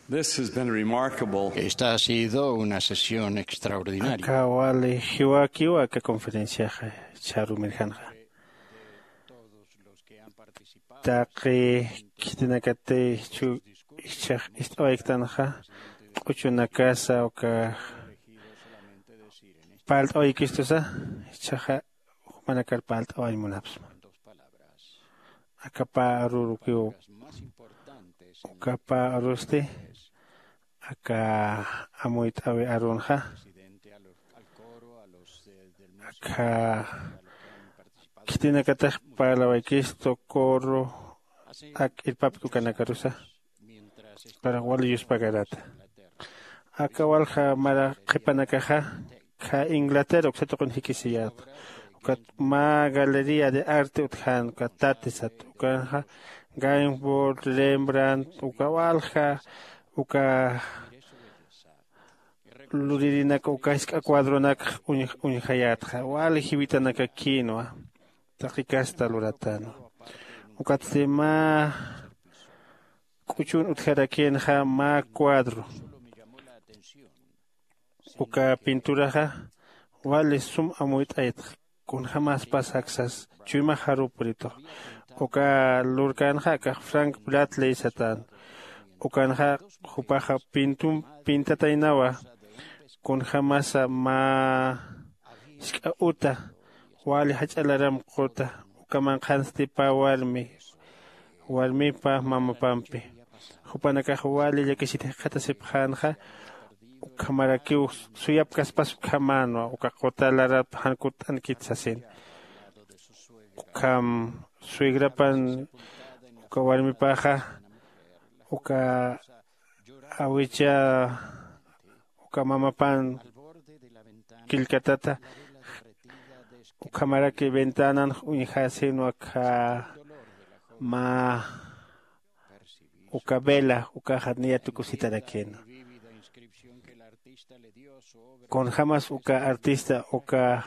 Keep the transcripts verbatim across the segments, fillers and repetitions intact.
This has been remarkable. Esta ha sido una sesión extraordinaria. Aka wali jiwakiwa aka conferenciaxa charumirjanxa. Taqi khitinakati chu ichhax ist'awayktanxa q'uchunakasa uka parlt'awaykistusa ichhaxa jumanakar parlt'awañ munapsma. Akapa arurukiw ukapa arusti aka amuyt'awi arunxa aka khitinakatax parlawaykistu coro ak irpapki ukanakarusa para wali yuspagarata. Aka walja mara qhipanakaxa kha inglaterra uksatuqun jikisiyat ukat mä galería de arte utjan uka tatisat ukanxa gainford rembrandt uka walja uka luririnaka uka jisk'a cuadronakx uñjayätxa wali jiwitanakakinwa. Taqi kasta luratanwa ukatsti mä k'uchun utjarakïnxa mä cuadro uka pinturaxa wali sum amuyt'aytxa. Kunjämaspas aksas chuymax jaruw puritux uka lurkänxa akax frank bradley satän. Ukanxa jupaxa pintum pintataynawa kunjämasa mä jisk'a uta wali jach'a laram quta uka manqhansti pä warmi warmipa mamapampi jupanakax wali llakisir jikxatasipxänxa. Ukhamarakiw suyapkaspas ukhamänwa uka quta larap jan kutt'ankit sasin. Ukham suegrapan uka warmipaxa uka awicha uka mamapan killkatata ukhamaraki ventanan uñjäsinwa kha mä uka vela ukaxa niya tukusitarakïnwa. Kunjämas uka artista uka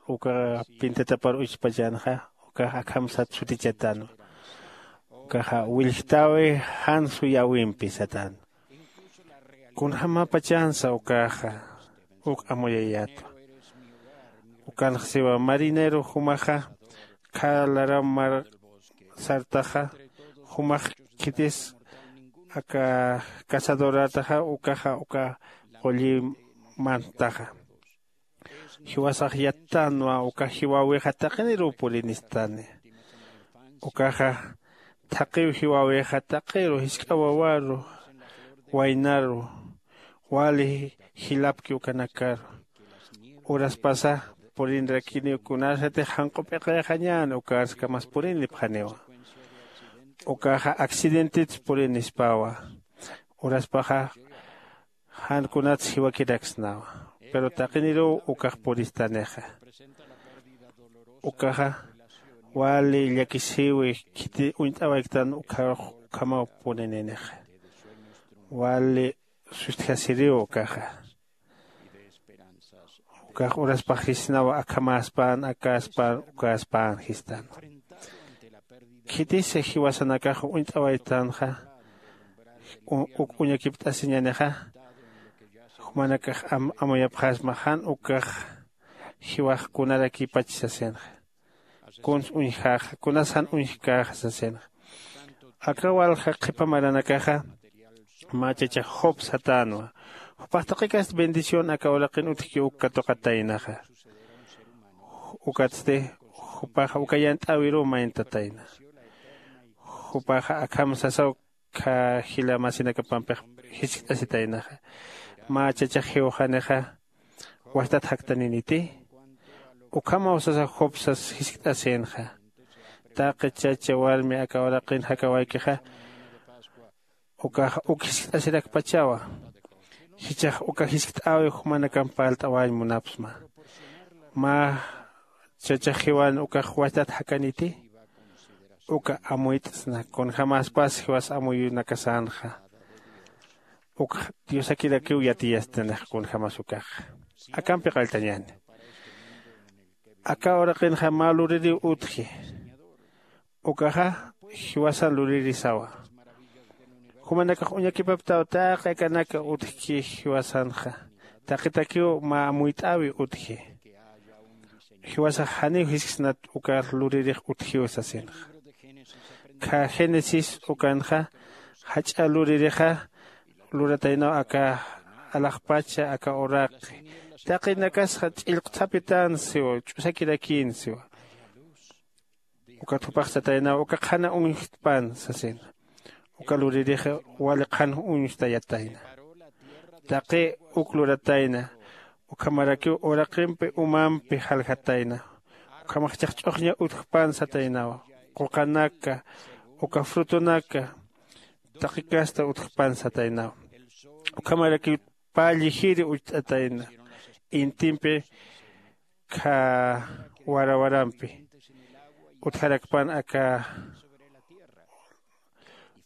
uka pintatapar uchpachanxa ukax akham sat sutichatanwa. Ukaxa willjtäwi jan suyäwimpi satanwa. Kunjämäpachansa ukaxa uk amuyayätwa. Ukanx siwa marinero jumaxa khä laram mar sartaxa jumax khitis aka cazadorataxa ukaxa uka qulli mantaxa jiwasax yattanwa uka jiwäwixa taqiniruw purinistani. Ukaxa thaqiw jiwäwixa taqiru jisk'a wawaru waynaru wali jilapki ukanakaru uraspasa purinrakiniw kunasatix janq'u p'iqayxañäni ukarskamas purinipxaniwa. Ukaxa accidentitsa purinispawa. Uraspaxa jan kunats jiwakiraksnawa pero taqiniruw ukax puristanixa. Ukaxa wali llakisiwi khiti uñt'awayktan ukhamaw purininixa. Wali sustjasiriw ukaxa. Ukax uraspax jisnawa akhamäspän akäspän ukäspän jistan. Khitisa jiwasanakax uñt'awaytanxa uk uñakipt'asiñanixa jumanakax amuyapxasma jan ukax jiwax kunarakipach sasinxa. Kuns uñjäxa kunas jan uñjkäxa sasinxa. Aka walja qhipa maranakaxa mä chachax job satänwa. Jupax taqikasti bendición aka uraqin utjki uk katuqataynaxa. Ukatsti jupaxa uka yant'äwiruw mayntatayna. Jupaxa akham sasaw kha jila masinakapampix jiskt'asitaynaxa. Mä chachax jiwxanixa wastat jaktaniniti? Ukhamaw sasa job sas jiskt'asïnxa. Taqi chacha warmi aka uraqin jakawaykixa ukax uk jiskt'asirakpachawa. Jichhax uka jiskt'äwi jumanakamp parlt'awañ munapsma. Mä chachax jiwan ukax wastat jakaniti? Uka amuyt'sna kunjämaspas jiwas amuyunakasänxa. Ukx diosakirakiw yatiyastanixa kunjämas ukaxa. Akampi qalltañäni. Aka uraqinxa mä luririw utji. Ukaxa jiwasan luririsawa. Jumanakax uñakipaptaw taqi akanaka utjki jiwasanxa. Taqitakiw mä amuyt'äwi utji. Jiwasax janiw jisksnat ukar luririx utjiw sasinxa. Kha génesis ukanxa jach'a luririxa lurataynaw aka alaxpacha aka uraqi. Taqinakasxa ch'illqthapitan siwa ch'usakirakïn siwa. Ukat jupax sataynaw uka qhana uñjtpan sasina. Uka luririx wali qhan uñjtayatayna. Taqi uk luratayna. Ukhamarakiw uraqimpi umampi jaljatayna. Ukhamax chhaqch'uxña utjpan sataynawa. Quqanaka uka frutonaka taqi casta utjpan sataynawa. Ukhamarakiw pä llijiri ucht'atayna. Intimpi kha warawarampi utjarakpan aka.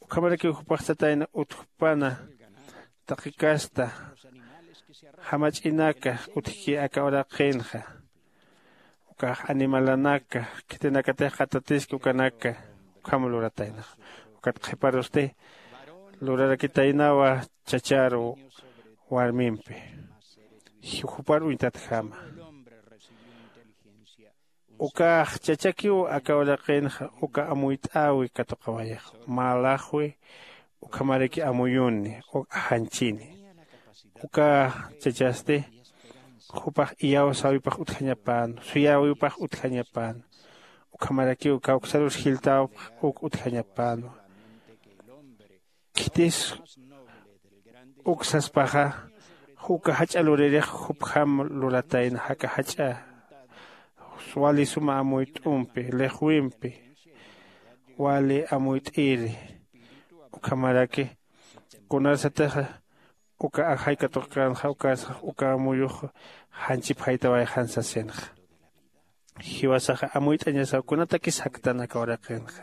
Ukhamarakiw jupax satayna utjpana taqi casta jamach'inaka utjki aka uraqinxa. Ukax animalanaka khitinakatix qatatiski ukanaka ukham lurataynaxa. Ukat qhiparusti lurarakitaynawa chacharu warmimpi jupar uñtatjama. Ukax chachakiw aka uraqinxa uka amuyt'äwi katuqawayax mä laxwi ukhamaraki amuyuni uk ajanchini. Uka chachasti jupax iyawsäwipax utjañapänwa suyäwipax utjañapänwa. Ukhamarakiw kawksarus jiltäwpax uk utjañapänwa. Khitis uk saspaxa uka jach'a luririx jupjam luratayna jaka jach'a wali suma amuyt'umpi lixwimpi wali amuyt'iri. Ukhamaraki kunarsatixa uka ajay katuqkänxa ukarsax uka amuyux janchipjaytawayxan sasinxa. Jiwasaxa amuyt'añasaw kunatakis jaktan aka uraqinxa.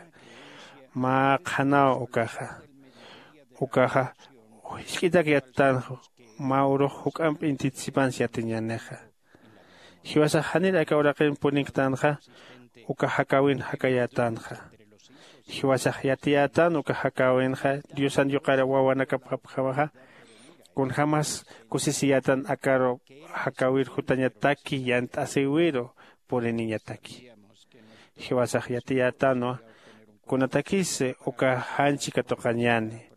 Mä qhanaw ukaxa ukaxa jisk'itak yattanxa mä urux juk'amp intitsipans yatiñänixa. Jiwasax janir aka uraqin purinktanxa uka jakäwin jakayätanxa. Jiwasax yatiyätan uka jakäwinxa diosan yuqar wawanakapxapjamaxa kunjämas kusisiyätan akaru jakäwir jutañataki yant'asïwiru puriniñataki. Jiwasax yatiyätanwa kunatakis uka janchi katuqañäni.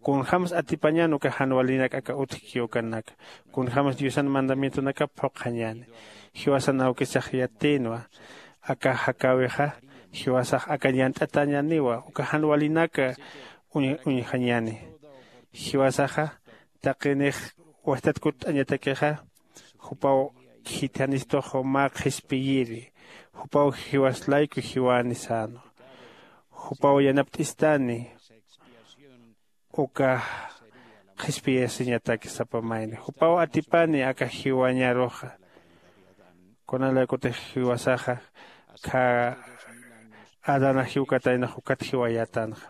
Kunjämsa atipañän uka jan walinak aka utjki ukanaka kunjämsa diosan mandamientonakap phuqhañäni. Jiwasan awkisax yatïnwa aka jakäwixa jiwasax aka ñant'atañäniwa uka jan walinaka uñjañäni. Jiwasaxa taqinix wajtat kutt'añatakixa jupaw khithanistux mä qhispiyiri. Jupaw jiwas layku jiwani sänwa. Jupaw yanapt'istani uka qhispiyasiñataki sapa mayni jupaw atipani aka jiwañaruxa. Kunalaykutix jiwasaxa kha adana jiwkataynax ukat jiwayätanxa.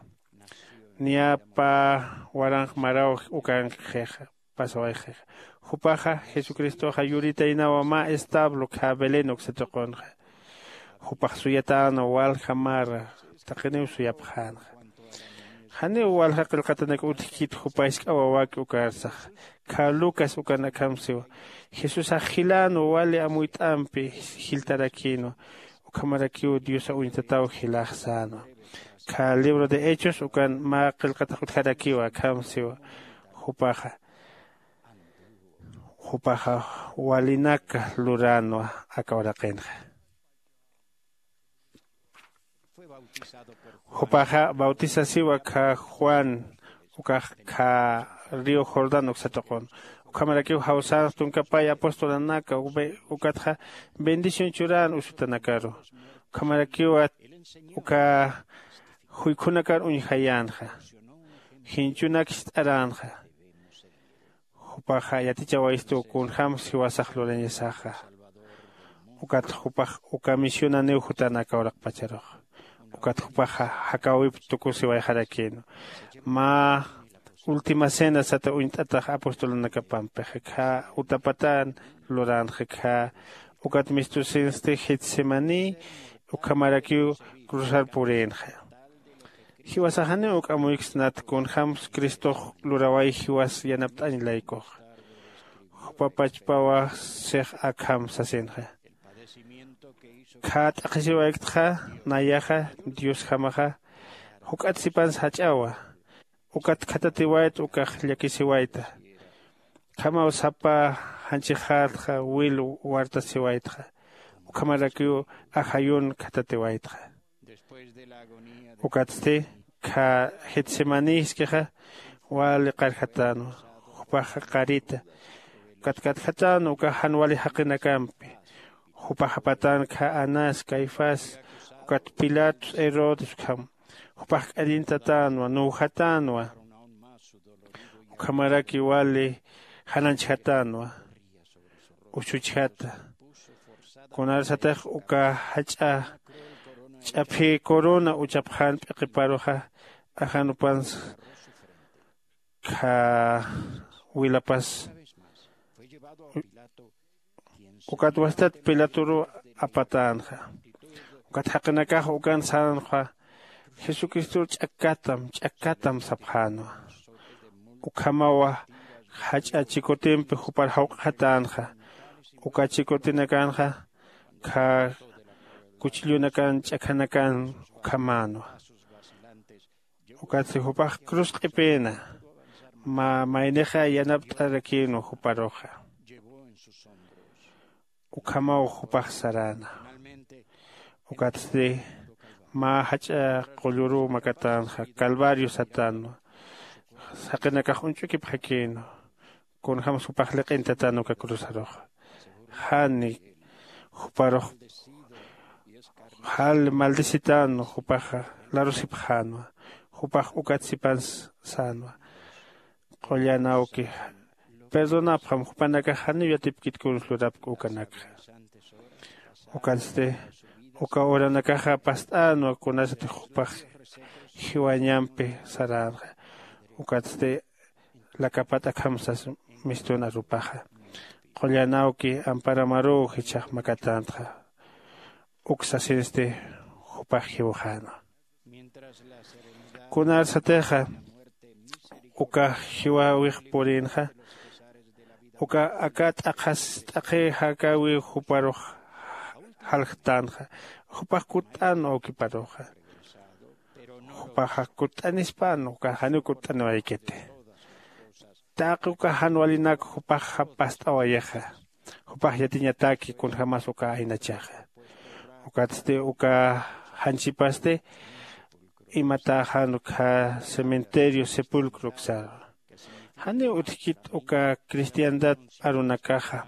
Niya pä waranq maraw ukankixixa pasawayxixa. Jupaxa jesucristoxa yuritaynawa mä establo kha belén uksa tuqunxa. Jupax suyatänwa walja mara taqiniw suyapxänxa. Janiw walja qillqatanak utjkit jupa jisk'a wawäki ukarsax. Kha lucas ukan akham siwa. Jesusax jilänwa wali amuyt'ampi jiltarakïnwa. Ukhamarakiw diosa uñtataw jilax sänwa. Kha libro de hechos ukan mä qillqatax utjarakiwa akham siwa. Jupaxa jupaxa walinaka luränwa aka uraqinxa. Jupaxa bautisasiwa kha juan ukax kha río jordán uksa tuqun. Ukhamarakiw jawsänx tunkapay apostolanaka ukatxa bendición churän usutanakaru. Ukhamarakiwa uka juykhunakar uñjayänxa. Jinchunak jist'aränxa. Jupaxa yatichawayistu kunjämsa jiwasax lurañasaxa. Ukatxa jupax uka misionaniw jutana aka uraqpacharux. Ukatxa jupaxa jakäwip tukusiwayxarakïnwa. Mä última cena sata uñt'atax apostolanakapampixa kha utapatan luränxa kha. Ukat mistusinsti getsemaní ukhamarakiw cruzar purïnxa. Jiwasax janiw uk amuyksnat kunjämsa cristox luraway jiwas yanapt'añ laykuxa. Jupa pachpawa six akham sasinxa. Khä t'aqhisiwayktxa nayaxa diosjamaxa juk'at sipansa jach'awa. Ukat khatatiwayta ukax llakisiwayta. Ukhamaw sapa janchixatxa wil wartasiwaytxa. Ukhamarakiw ajayun khatatiwaytxa. Ukatsti khä getsemaní jiskixa wali qarjatänwa. Jupaxa qarita ukat katjatänwa ukax jan wali jaqinakampi. Jupax apatän khä anás caifás ukat pilatos herodes ukham. Jupax k'arintatänwa nuwjatänwa. Ukhamaraki wali jananchjatänwa. Usuchjata. Kunarsatix uka jach'a ch'aphï corona uchapxän p'iqiparuxa ajanupansa khä wilapas. Ukat wastat pilatoruw apatänxa. Ukat jaqinakax ukan sänxa jesucristor ch'akkatam ch'akkatam sapxänwa. Ukhamawa jach'a chikutimpi jupar jawq'xatänxa. Uka chikutinakanxa khä kuchillunakan ch'akhanakan ukhamänwa. Ukatsti jupax cruz q'ipïna mä maynixa yanapt'arakïnwa juparuxa. Ukhamaw jupax saräna. Ukatsti mä jach'a qulluruw makatänxa calvario satänwa. Jaqinakax uñch'ukipxakïnwa. Kunjämsa jupax liq'intatän uka cruzaruxa. Jani juparux jal maldecitänwa jupaxa larusipxänwa. Jupax ukat sipansa sänwa. Qullan awki perdonapxam jupanakax janiw yatipkit kunsa lurapki ukanakxa. Ukatsti uka uranakaxa past'änwa kunasatix jupax jiwañampi saränxa. Ukatsti lakapat'akham sas mistun arupaxa. Qullan awki amparamaruw jichhax makatänxa. Uk sasinsti jupax jiwxänwa. Kunarsatixa uka jiwäwix purïnxa uka aka t'aqhas t'aqhi jakäwiw juparux jaljtänxa. Jupax kutt'änwa awkiparuxa. Jupaxa kutt'anispänwa uka janiw kutt'aniwaykiti. Taqi uka jan walinak jupaxa past'awayixa. Jupax yatiñataki kunjämas uka aynachaxa. Ukatsti uka janchipasti imatäxan ukkha cementerio sepulcro uksaru. Janiw utjkit uka cristiandad arunakaxa.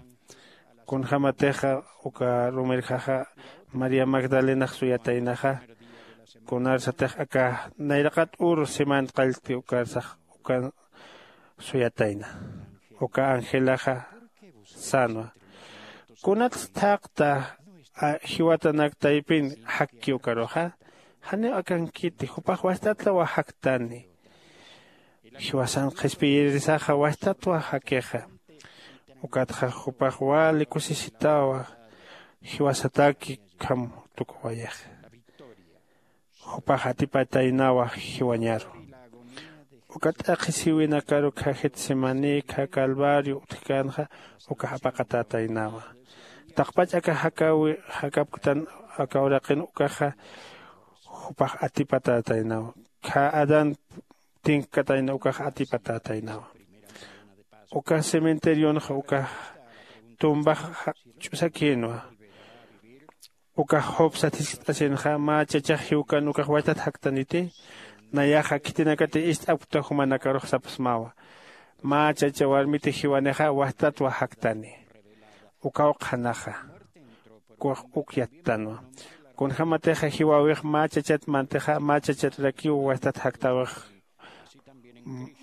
Kunjämatixa uka rumirjaxa maría magdalenax suyataynaxa. Kunarsatix aka nayraqat uru siman qallti ukarsax ukan suyatayna. Uka angelaxa sänwa. Kunatsa thaqta jiwatanak taypin jakki ukaruxa? Janiw akankiti jupax wastatlawa jaktani. Jiwasan qhispiyirisaxa wastatwa jakixa. Ukatxa jupax wali kusisitawa jiwasataki ukham tukuwayixa. Jupax atipataynawa jiwañaru. Uka t'aqhisiwinakaru kha getsemaní kha calvario utjkänxa ukax apaqatätaynawa. Taqpach aka jakäwi jakapktan aka uraqin ukaxa jupax atipatätaynawa. Kha adán tinkkatayna ukax atipatätaynawa. Uka cementerionxa ukax tumbax ch'usakïnwa. Ukax job sat jiskt'asinxa mä chachax jiwkan ukax wachtat jaktaniti? Nayaxa khitinakati ist'apkta jumanakarux sapxsmawa. Mä chacha warmiti jiwanixa wajtatwa jaktani. Ukaw qhanaxa. Ukax uk yattanwa. Kunjämatixa jiwäwix mä chachat mantixa mä chachatrakiw wajtat jaktäwix.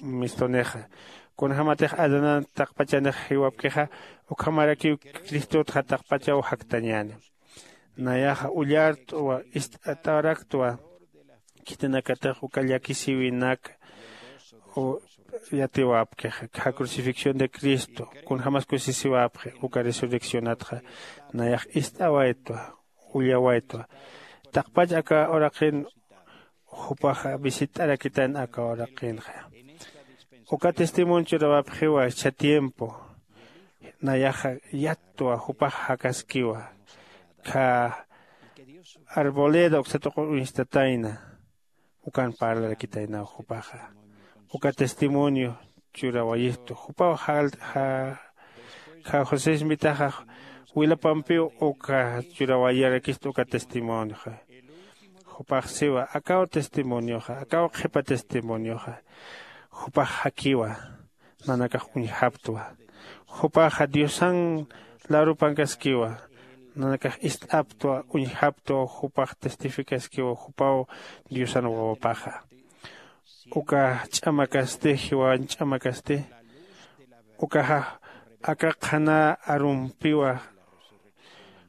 Mistunixa kunjämatix adanan taqpachanix jiwapkixa ukhamarakiw cristotxa taqpachaw jaktañäni. Nayaxa ullart'wa ist'at'araktwa. Khitinakatix uka llakisïwinak yatiwapkixa kha crucifixión de cristo kunjämas kusisiwapxi uka resurreccionatxa. Nayax ist'awaytwa ullawaytwa. Taqpach aka uraqin jupaxa visit'arakitan aka uraqinxa. Uka testimonio churawapxiwa cha tiempo nayaxa yattwa jupax jakaskiwa kha arboleda uksatuqur uñstatayna. Ukan parlarakitaynaw jupaxa uka testimonio churawayistu jupaw jal ja ja josesmitaxa wilapampiw uka churawayarakistu uka testimonioxa. Jupax siwa akaw testimonioxa akaw qhipa testimonioxa jupax jakiwa nanakax uñjaptwa. Jupaxa diosan larupankaskiwa nanakax ist'aptwa uñjaptwa jupax testificaskiwa jupaw diosan wawapaxa. Uka ch'amakasti jiwan ch'amakasti ukaxa aka qhana arumpiwa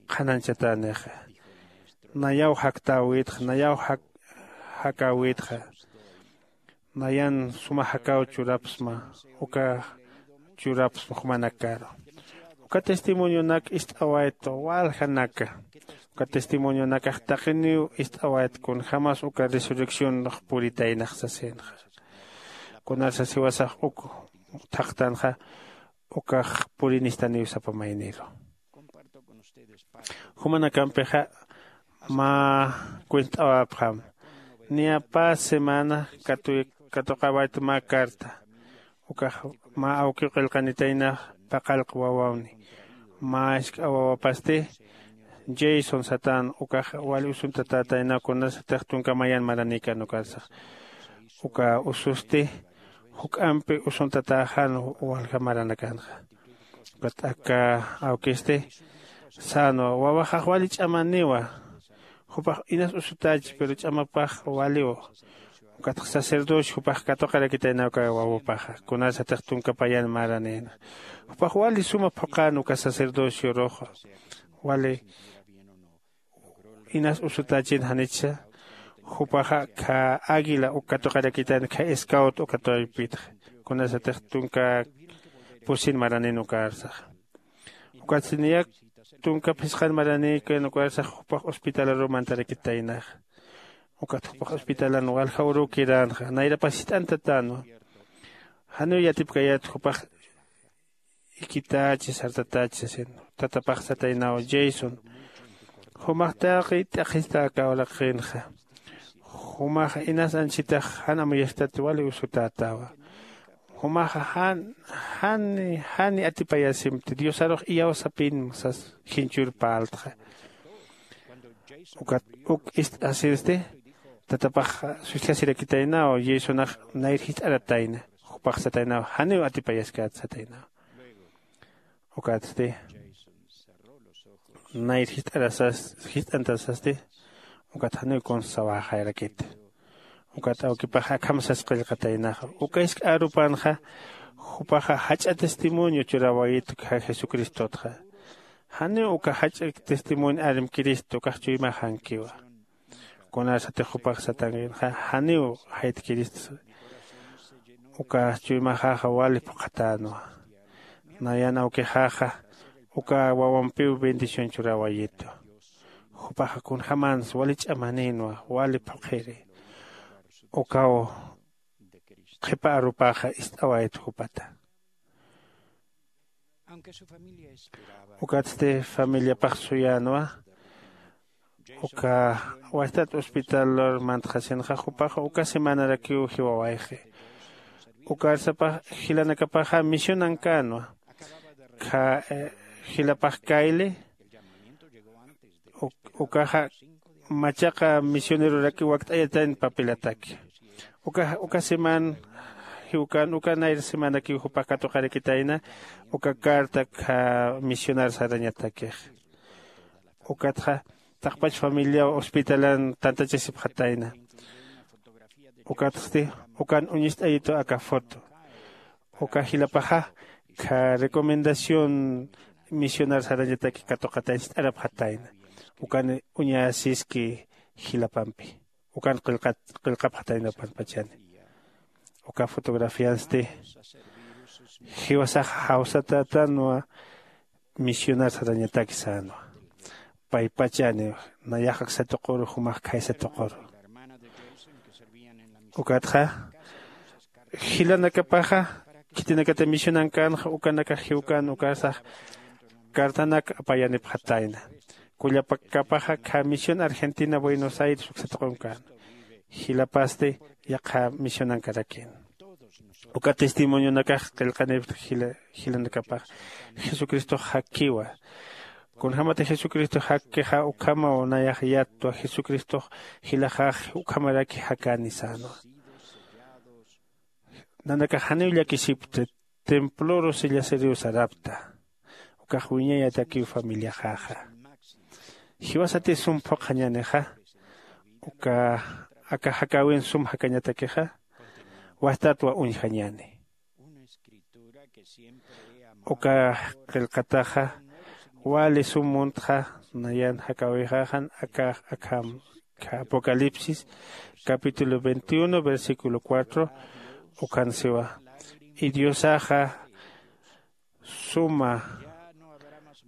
qhanañchatänixa. Nayaw jaktäwitxa nayaw jakäwitxa. Nayan suma jakaw churapsma uka churapsma jumanakaru. Uka testimonionak ist'awaytwa waljanaka. Uka testimonionakax taqiniw ist'awayt kunjämas uka resurreccionx puritaynax sasinxa. Kunasas jiwasax uk thaqtanxa ukax purinistaniw sapa mayniru. Jumanakampixa mä cuent'awapxam. Niya pä semana katuqawayt mä carta ukax mä awkiw qillqanitaynax paqallq wawawni. Mä isk'a wawapasti jason satän ukax wali usuntatätaynaw kunasatix tunka mayan maranïkän ukarsax. Uka ususti juk'ampi usuntatäxan walja maranakanxa. Ukat aka awkisti sänwa wawaxax wali ch'amaniwa. Jupax inas usutächi pero ch'amapax waliw. Ukatx sacerdocio jupax katuqarakitaynaw uka wawapaxa kunasatix tunka payan maranïna. Jupax wali suma phuqän uka sacerdocioruxa wali inas usutächin janichsa. Jupaxa kha águila uk katuqarakitayna kha scout uka taypitxa kunasatix tunka pusin maranïn ukarsaxa. Ukatsti niyak tunka phisqan maranïkän ukarsax jupax hospitalaruw mantarakitaynaxa. Ukat jupax hospitalan walja uruw kiränxa nayrapas jist'antatänwa. Janiw yatipkayät jupax ikitächi sartatächi sasin. Tatapax sataynaw jason jumax taqi t'aqhista aka uraqinxa. Jumaxa inas anchitax jan amuyastat wali usutätawa. Jumaxa jan jani jani atipayasimti diosarux iyawsapinma sas jinchur parltxa. Ukat uk ist'asinsti tatapax sustjasirakitaynaw jasonax nayr jist'aratayna. Jupax sataynaw janiw atipayaskäta sataynaw. Ukatsti nayr jist'arasas jist'antasasti ukat janiw kunsa sawäxayarakit. Ukat awkipax akham sas qillqataynaxa uka isk'a arupanxa jupaxa jach'a testimonio churäwayit jesucristotxa. Janiw uka jach'a testimonio arimkirist ukax chuymaxankiwa. Kunasatix jupax satankinxa janiw jaytkirist uka chuymaxaxa wali phuqhatänwa. Nayan awkixaxa uka wawampiw bendición churäwayitu. Jupaxa kunjämans wali ch'amanïnwa wali phuqhiri. Ukaw qhipa arupaxa ist'awayt jupata. Ukatsti familiapax suyänwa. Uka wachtat hospitalur mantxasinxa jupaxa uka semanarakiw jiwawayxi. Ukarsapax jilanakapaxa misionankänwa. Kha jilapax kayli ukaxa machaqa misionerorakiw wakt'ayatayn papelataki. Uka uka seman jiwkän uka nayr semanakiw jupax katuqarakitayna uka carta kha misionar sarañatakix. Ukatxa taqpach familiaw hospitalan tantachasipxatayna. Ukatsti ukan uñist'ayitu aka foto. Uka jilapaxa kha recomendación misionar sarañataki katuqatay ist'arapxatayna. Ukan uñasiski jilapampi ukan qillqapxatayna panpachani. Uka fotografiansti jiwasax jawsatätanwa. Misionar sarañatak sänwa paypachani nayax aksa tuquru jumax khaysa tuquru. Ukatxa jilanakapaxa khitinakata misionankänxa ukanakax jiwkän ukasax cartanak apayanipxatayna. Kullapakapaxa khä misión argentina buenos aires uksataqunkäna. Jilapasti yaqha misionankarakïna. Uka testimonionakax qillqanipxta jilanakapax jesucristox jakkiwa. Kunjämati jesucristox jakkixa ukhamaw nayax yattwa jesucristox jilaxax ukhamaraki jakäni sänwa. Nanakax janiw llakisipkta. Temploru sillasiriw sarapkta. Ukax wiñayatakiw familiaxaxa. Jiwasati sum phuqhañänixa uka aka jakäwin sum jakañatakixa wastatwa uñjañäni. Uka qillqataxa wali sum muntxa nayan jakäwixaxan aka akham apocalipsis capítulo veintiuno versículo cuatro. Ukhan siwa y diosaxa suma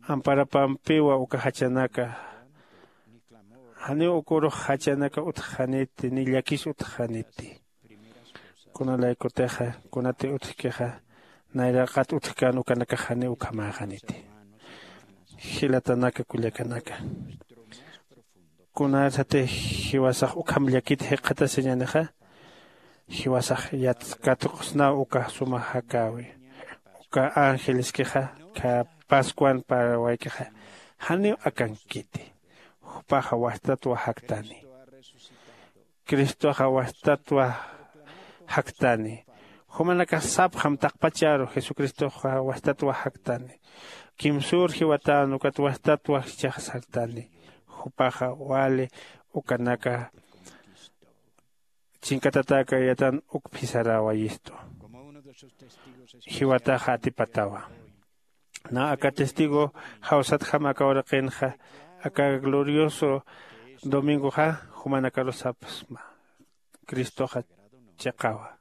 amparapampiwa uka jachanaka. Janiw ukurux jachanaka utjxaniti ni llakis utjxaniti. Kunalaykutixa kunati utjkixa nayraqat utjkän ukanakax janiw ukhamäxaniti. Jilatanaka kullakanaka, kunasati jiwasax ukham llakit jikxatasiñänixa jiwasax yatskatuqsnaw uka suma jakäwi. Uka angeleskixa khä pascuan parawaykixa janiw akankiti. Jupaxa wastatwa jaktani. Cristoxa wastatwa jaktani. Jumanakax sapxam taqpacharu jesucristoxa wastatwa jaktani. Kimsür jiwatän ukat wastatwa jichhax sartani. Jupaxa wali ukanaka chinkatatäkayatan uk phisarawayistu. Jiwataxa atipatawa. Nä aka testigo jawsatjam aka uraqinxa aka glorioso domingoxa jumanakarus sapxsma. Cristoxa chiqawa.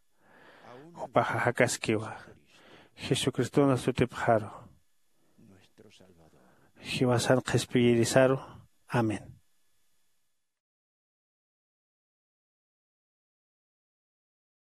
Jupaxa jakaskiwa. Jesucristona sutipxaru jiwasan qhispiyirisaru. Amén.